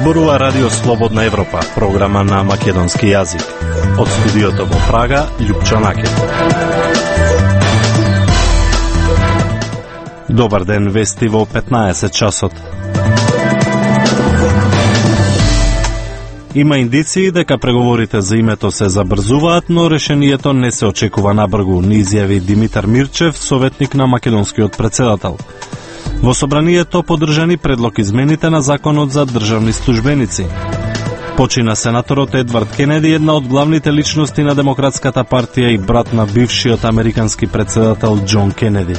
Зборува Радио Слободна Европа, програма на македонски јазик. Од студиото во Прага, Љупчо Накет. Добар ден, вести во 15 часот. Има индиции дека преговорите за името се забрзуваат, но решението не се очекува набргу, ни изјави Димитар Мирчев, советник на македонскиот претседател. Во собранието поддржани предлог измените на законот за државни службеници. Почина сенаторот Едвард Кенеди, една од главните личности на Демократската партија и брат на бившиот американски претседател Џон Кенеди.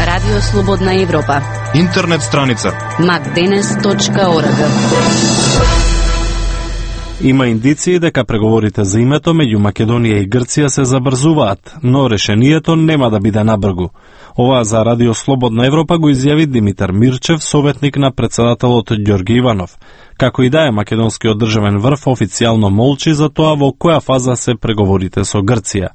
Радио Слободна Европа. Интернет страница macdenes.org. Има индиции дека преговорите за името меѓу Македонија и Грција се забрзуваат, но решението нема да биде набргу. Ова за Радио Слободна Европа го изјави Димитар Мирчев, советник на претседателот Ѓорги Иванов. Како и да е, македонскиот државен врв официјално молчи за тоа во која фаза се преговорите со Грција.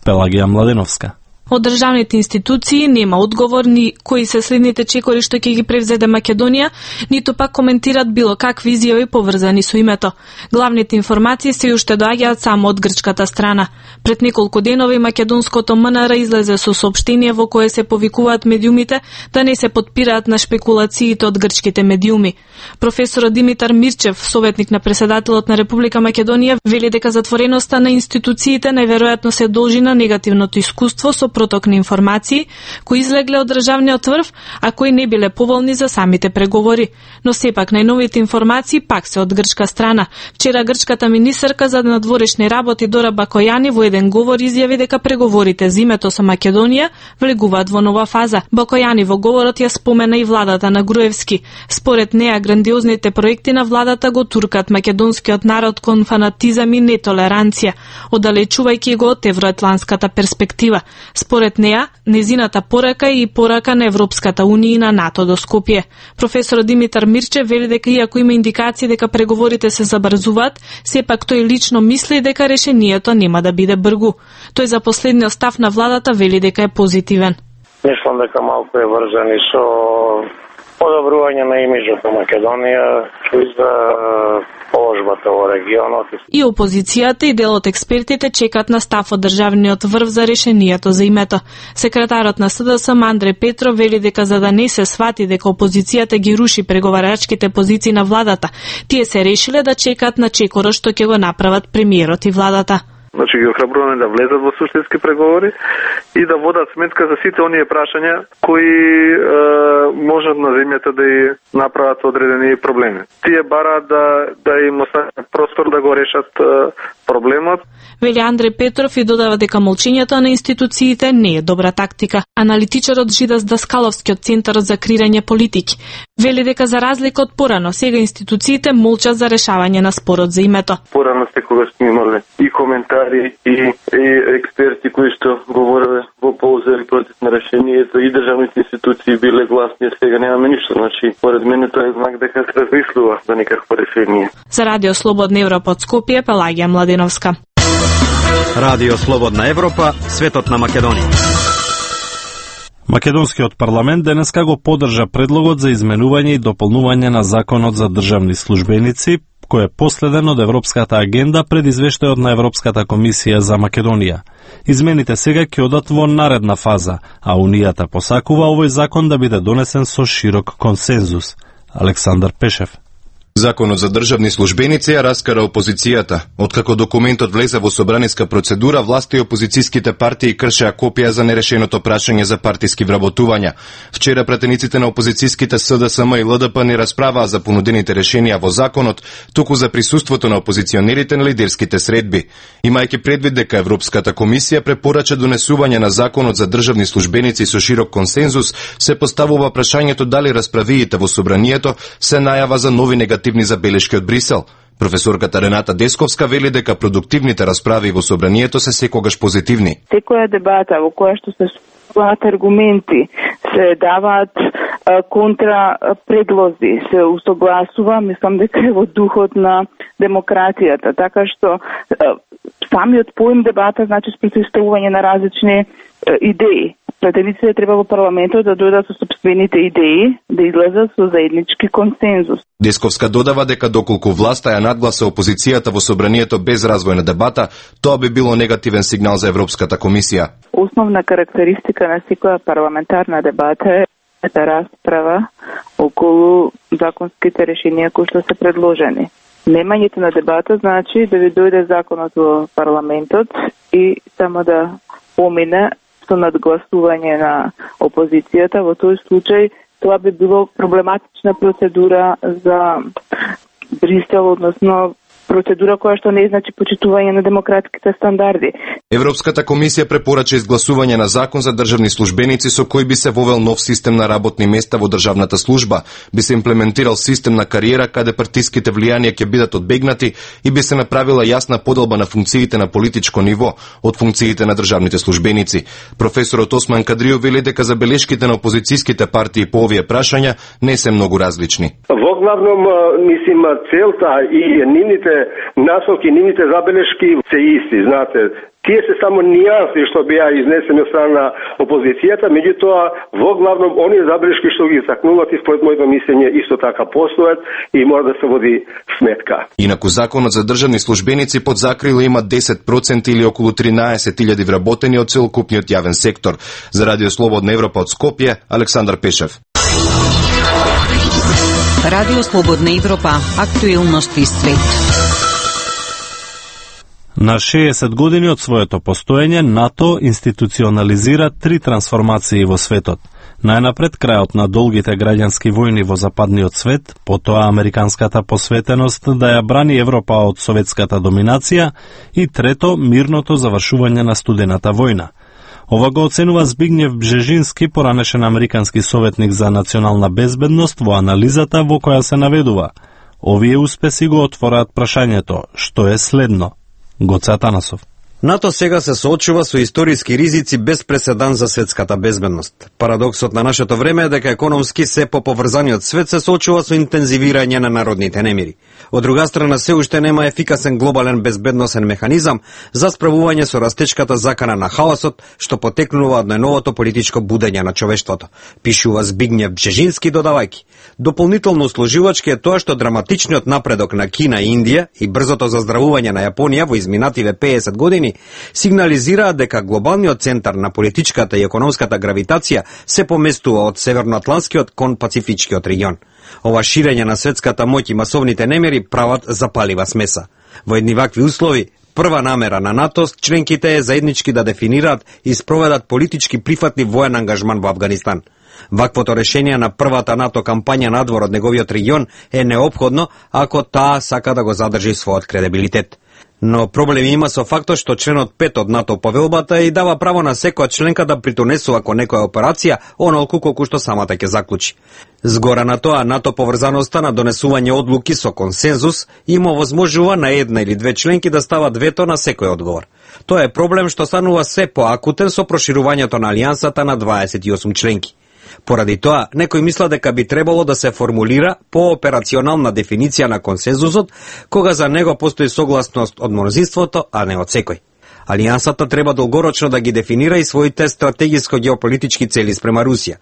Пелагија Младеновска. Од државните институции нема одговор ни кои се следните чекори што ќе ги превзеде Македонија, ниту пак коментират било какви изјави поврзани со името. Главните информации се уште доаѓаат само од грчката страна. Пред неколку денови македонското МНР излезе со соопштение во кое се повикуваат медиумите да не се потпираат на шпекулациите од грчките медиуми. Професорот Димитар Мирчев, советник на претседателот на Република Македонија, вели дека затвореноста на институциите најверојатно се должи на негативното искуство со проток на информации кои излегле од државниот врв, а кои не биле поволни за самите преговори. Но сепак најновите информации пак се од грчка страна. Вчера грчката министерка за надворешни работи Дора Бакојани во еден говор изјави дека преговорите за името со Македонија влегуваат во нова фаза. Бакојани во говорот ја спомена и владата на Груевски. Според неа грандиозните проекти на владата го туркат македонскиот народ кон фанатизам и нетолеранција, оддалечувајќи го од евроатланската перспектива. Според неа, незината порака е и порака на Европската Унија и на НАТО до Скопје. Професор Димитар Мирчев вели дека иако има индикации дека преговорите се забрзуваат, сепак тој лично мисли дека решението нема да биде бргу. Тој за последниот став на владата вели дека е позитивен. Мислам дека малку е врзан и со подобрување на имиџот на Македонија и за положбата во регионот. И опозицијата и дел од експертите чекат на став од државниот врв за решението за името. Секретарот на СДСМ Андреј Петров вели дека за да не се свати дека опозицијата ги руши преговарачките позиции на владата, тие се решиле да чекаат на чекорот што ќе го направат премиерот и владата. Значи ги охрабруваме да влезат во суштински преговори и да водат сметка за сите оние прашања кои можат на земјата да ја направат одредени проблеми. Тие бараат да им остават простор да го решат проблемот. Вели Андреј Петров и додава дека молчењето на институциите не е добра тактика. Аналитичарот Жидас Даскаловски од Центарот за креирање политики вели дека за разлика од порано, сега институциите молчат за решавање на спорот за името. Порано секогаш сме имале и коментари и експерти кои што говореле во полза или против на решението и државните институции биле гласни, сега немаме ништо. Значи, поред мене тоа е знак дека се размислува за некакво решение. За Радио Слободна Европа од Скопје, Пелагија Младеновска. Радио Слободна Европа, светот на Македонија. Македонскиот парламент денеска го поддржа предлогот за изменување и дополнување на законот за државни службеници, кој е последен од Европската агенда пред извештајот на Европската комисија за Македонија. Измените сега ќе одат во наредна фаза, а Унијата посакува овој закон да биде донесен со широк консензус. Александар Пешев. Законот за државни службеници ја раскара опозицијата. Откако документот влезе во собраниска процедура, власта и опозицијските партии кршеа копија за нерешеното прашање за партиски вработувања. Вчера пратениците на опозицијските СДСМ и ЛДП не расправаа за понудените решенија во законот, туку за присуството на опозиционерите на лидерските средби. Имајќи предвид дека Европската комисија препорача донесување на законот за државни службеници со широк консензус, се поставува прашањето дали расправиите во собранието се најава за нови негативни забелешки од Брисел. Професорката Рената Десковска вели дека продуктивните расправи во собранието се секогаш позитивни. Секоја дебата во која што се аргументи се даваат контра предлози се усогласува, мислам дека е во духот на демократијата, така што самиот поим дебата значи спротивставување на различни идеи. Претениците треба во парламентот да дојдат со сопствените идеи, да излезат со заеднички консензус. Десковска додава дека доколку власта ја надгласа опозицијата во собранието без развој на дебата, тоа би било негативен сигнал за Европската комисија. Основна карактеристика на секоја парламентарна дебата е расправа околу законските решенија кои што се предложени. Немањето на дебата значи да ви дојде законот во парламентот и само да помине со надгласување на опозицијата. Во тој случај тоа би било проблематична процедура за Брисел, односно процедура која што не значи почитување на демократските стандарди. Европската комисија препорача изгласување на закон за државни службеници со кој би се вовел нов систем на работни места во државната служба, би се имплементирал систем на кариера каде партиските влијанија ќе бидат одбегнати и би се направила јасна поделба на функциите на политичко ниво од функциите на државните службеници. Професорот Осман Кадрио вели дека забелешките на опозицијските партии по овие прашања не се многу различни. Во главном, мислим, целта и нивните насоки, нивните забелешки се исти, знаете. Тие се само нијанси што беа изнесени од страна на опозицијата, меѓутоа во главном оние забелешки што ги истакнуваат и според моето мислење исто така постојат и мора да се води сметка. Инаку законот за државни службеници под закрила има 10% или околу 13.000 вработени од целокупниот јавен сектор. За Радио Слободна Европа од Скопје, Александар Пешев. Радио Слободна Европа, актуелности свет. На 60 години од своето постоење, НАТО институционализира 3 трансформации во светот. Најнапред крајот на долгите граѓански војни во западниот свет, потоа американската посветеност да ја брани Европа од советската доминација и трето, мирното завршување на студената војна. Ова го оценува Збигњев Бжежински, поранешен американски советник за национална безбедност, во анализата во која се наведува: овие успеси го отвораат прашањето што е следно. Гоце Атанасов. НАТО сега се соочува со историски ризици без преседан за светската безбедност. Парадоксот на нашето време е дека економски се поповрзаниот свет се соочува со интензивирање на народните немири. Од друга страна, се уште нема ефикасен глобален безбедносен механизам за справување со растечката закана на хаосот, што потекнува од најновото политичко будење на човештвото, пишува Збигњев Бжежински, додавајќи: дополнително услужувачки е тоа што драматичниот напредок на Кина и Индија и брзото заздравување на Јапонија во изминативе 50 години сигнализираат дека глобалниот центар на политичката и економската гравитација се поместува од северноатлантскиот кон пацифичкиот регион. Ова ширење на светската моќ и масовните немери прават запалива смеса. Во едни вакви услови, прва намера на НАТО членките е заеднички да дефинираат и спроведат политички прифатни воен ангажман во Авганистан. Ваквото решение на првата НАТО кампања надвор од неговиот регион е неопходно ако таа сака да го задржи својот кредибилитет. Но проблеми има со фактот што членот 5 од НАТО повелбата и дава право на секоја членка да притонесува кон некоја операција онолку колку што самата ќе заклучи. Згора на тоа, НАТО поврзаноста на донесување одлуки со консензус има овозможува на една или две членки да стават вето на секој одговор. Тоа е проблем што станува се поакутен со проширувањето на алијансата на 28 членки. Поради тоа, некој мисла дека би требало да се формулира пооперационална дефиниција на консензусот, кога за него постои согласност од мнозинството, а не од секој. Алијансата треба долгорочно да ги дефинира и своите стратегиско-геополитички цели спрема Русија.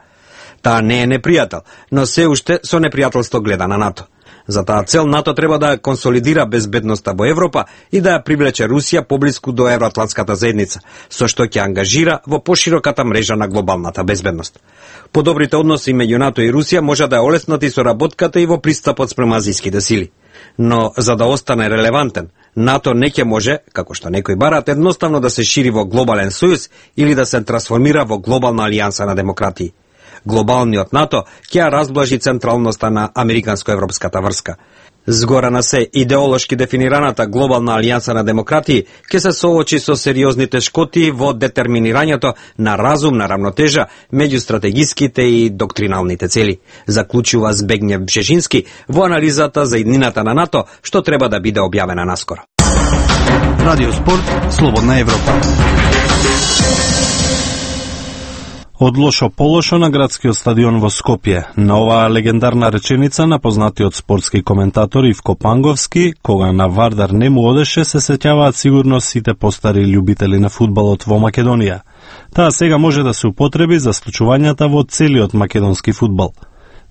Таа не е непријател, но се уште со непријателство гледа на НАТО. За таа цел НАТО треба да консолидира безбедноста во Европа и да ја привлече Русија поблиску до евроатлантската заедница, со што ќе ангажира во пошироката мрежа на глобалната безбедност. Подобрите односи меѓу НАТО и Русија може да ја олеснат и соработката и во пристапот спрема азијските сили. Но за да остане релевантен, НАТО не ќе може, како што некои барат, едноставно да се шири во глобален сојуз или да се трансформира во глобална алијанса на демократии. Глобалниот НАТО ќе ја разблажи централноста на американско-европската врска. Згора на се, идеолошки дефинираната глобална алијанса на демократии ќе се соочи со сериозните шкоти во детерминирањето на разумна равнотежа меѓу стратегиските и доктриналните цели, заклучува Збигњев Бжежински во анализата за иднината на НАТО, што треба да биде објавена наскоро. Радио Спорт, Слободна Европа. Од лошо по лошо на градскиот стадион во Скопје. На оваа легендарна реченица на познатиот спортски коментатор Ивко Панговски, кога на Вардар не му одеше, се сеќаваат сигурно сите постари љубители на фудбалот во Македонија. Таа сега може да се употреби за случувањата во целиот македонски фудбал.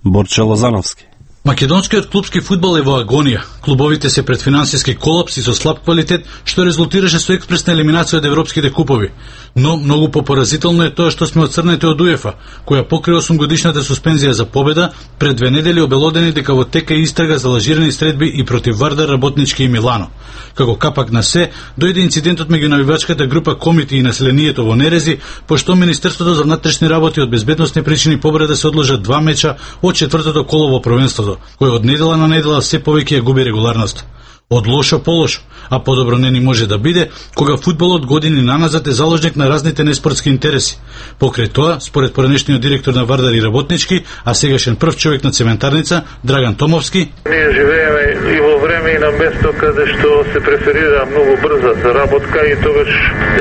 Борче Лозановски. Македонскиот клупски фудбал е во агонија. Клубовите се пред финансиски колапс и со слаб квалитет, што резултираше со експресна елиминација од европските купови. Но многу попоразително е тоа што сме отцрнети од УЕФА, која покрај 8-годишната суспензија за победа, пред 2 недели обелодени дека во тека истрага за лажирани средби и против Вардар, Работнички и Милано. Како капак на се, дојде инцидентот меѓу навивачката група Комити и населението во Нерези, пошто Министерството за внатрешни работи од безбедносни причини побара да се одложат 2 меча од 4-то коло во првенството, кој од недела на недела се повеќе ја губи регуларност. Од лошо по лошо, а подобро не ни може да биде, кога фудбалот години наназад е заложник на разните неспортски интереси. Покрај тоа, според поранешниот директор на Вардар и Работнички, а сегашен прв човек на цементарница, Драган Томовски, ние живееме и во време и на место каде што се преферира многу брза заработка и тогаш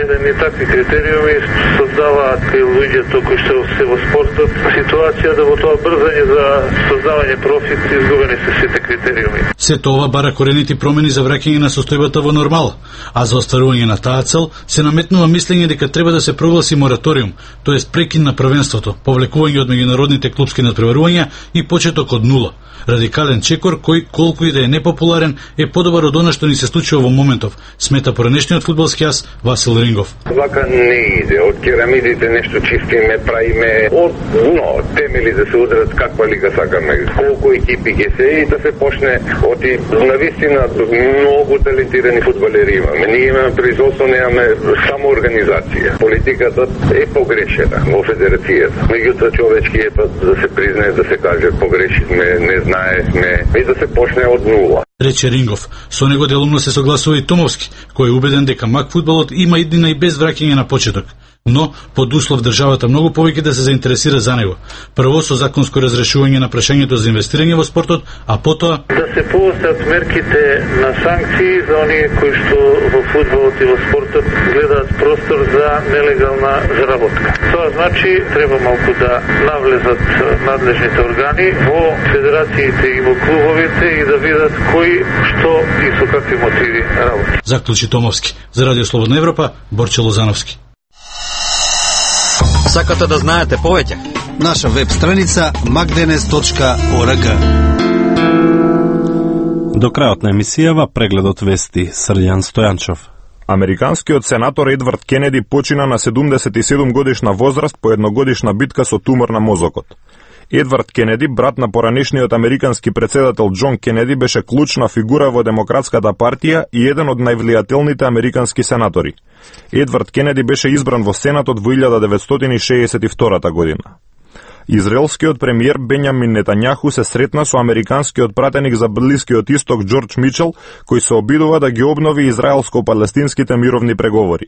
еден и такви критериуми создаваат кај луѓето кои што се во спортот ситуација да во тоа брзање за создавање профит изгубени се сите критериуми. Сето ова бара корените промени за враќање на состојбата во нормала, а за остварување на таа цел се наметнува мислење дека треба да се прогласи мораториум, тоест прекин на првенството, повлекување од меѓународните клупски надпреварувања и почеток од нула. Радикален чекор кој, колку и да е непопуларен, е подобар од она што ни се случува во моментов, смета поранешниот фудбалски ас Васил Рингов. Вака не иде, од керамидите нешто чистиме, правиме, од темели да се удрат каква лига сакаме, колку екипи ќе се и да се почне од навистина многу талентирани фудбалери имаме. Ние имаме производство, немаме само организација. Политиката е погрешена во федерацијата. Меѓутоа човечкиот пат да се признае, да се каже погрешивме, не знаевме и да се почне од нула. Рече Рингов. Со него делумно се согласува и Томовски, кој е убеден дека мак фудбалот има иднина и без враќање на почеток. Но, под услов државата многу повеќе да се заинтересира за него. Прво со законско разрешување на прашањето за инвестирање во спортот, а потоа да се поостат мерките на санкции за оние кои што во фудбалот и во спортот гледаат простор за нелегална заработка. Тоа значи треба малку да навлезат надлежните органи во федерациите и во клубовите и да видат кои што и со какви мотиви работи. Заклучи Томовски. За Радио Слободна Европа, Борче Лозановски. Сакате да знаете повеќе? Наша веб страница magdenes.org. До крајот на емисијава прегледот вести Срđan Стојанчов. Американскиот сенатор Едвард Кенеди почина на 77 годишна возраст по едногодишна битка со тумор на мозокот. Едвард Кенеди, брат на поранешниот американски претседател Џон Кенеди, беше клучна фигура во Демократската партија и еден од највлијателните американски сенатори. Едвард Кенеди беше избран во Сенатот во 1962 година. Израелскиот премиер Бенјамин Нетањаху се сретна со американскиот пратеник за Блискиот исток Џорџ Мичел, кој се обидува да ги обнови израелско-палестинските мировни преговори.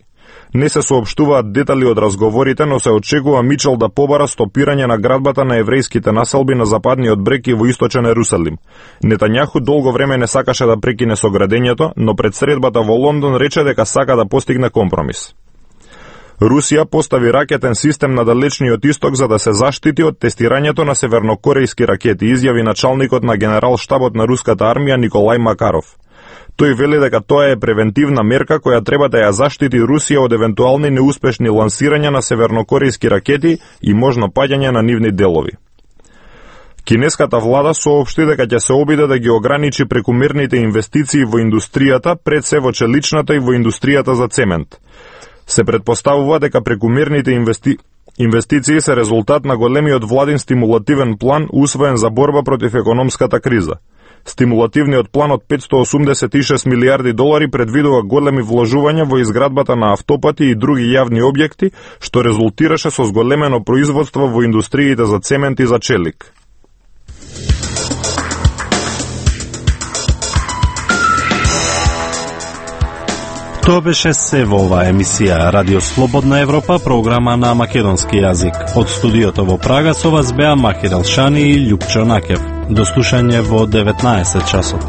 Не се соопштуваат детали од разговорите, но се очекува Мичел да побара стопирање на градбата на еврејските населби на западниот брег и во источен Ерусалим. Нетањаху долго време не сакаше да прекине со градењето, но пред средбата во Лондон рече дека сака да постигне компромис. Русија постави ракетен систем на далечниот исток за да се заштити од тестирањето на севернокорејски ракети, изјави началникот на генерал-штабот на руската армија Николај Макаров. Тој вели дека тоа е превентивна мерка која треба да ја заштити Русија од евентуални неуспешни лансирања на севернокорејски ракети и можно паѓање на нивни делови. Кинеската влада соопшти дека ќе се обиде да ги ограничи прекумерните инвестиции во индустријата, пред се во челичната и во индустријата за цемент. Се предпоставува дека прекумерните инвестиции се резултат на големиот владин стимулативен план усвоен за борба против економската криза. Стимулативниот план од 586 милиарди долари предвидува големи вложувања во изградбата на автопати и други јавни објекти, што резултираше со зголемено производство во индустриите за цемент и за челик. Тоа беше се во оваа емисија Радио Слободна Европа, програма на македонски јазик. Од студиото во Прага со вас беа Махир Алшани и Љупчо Накев. До слушање во 19 часот.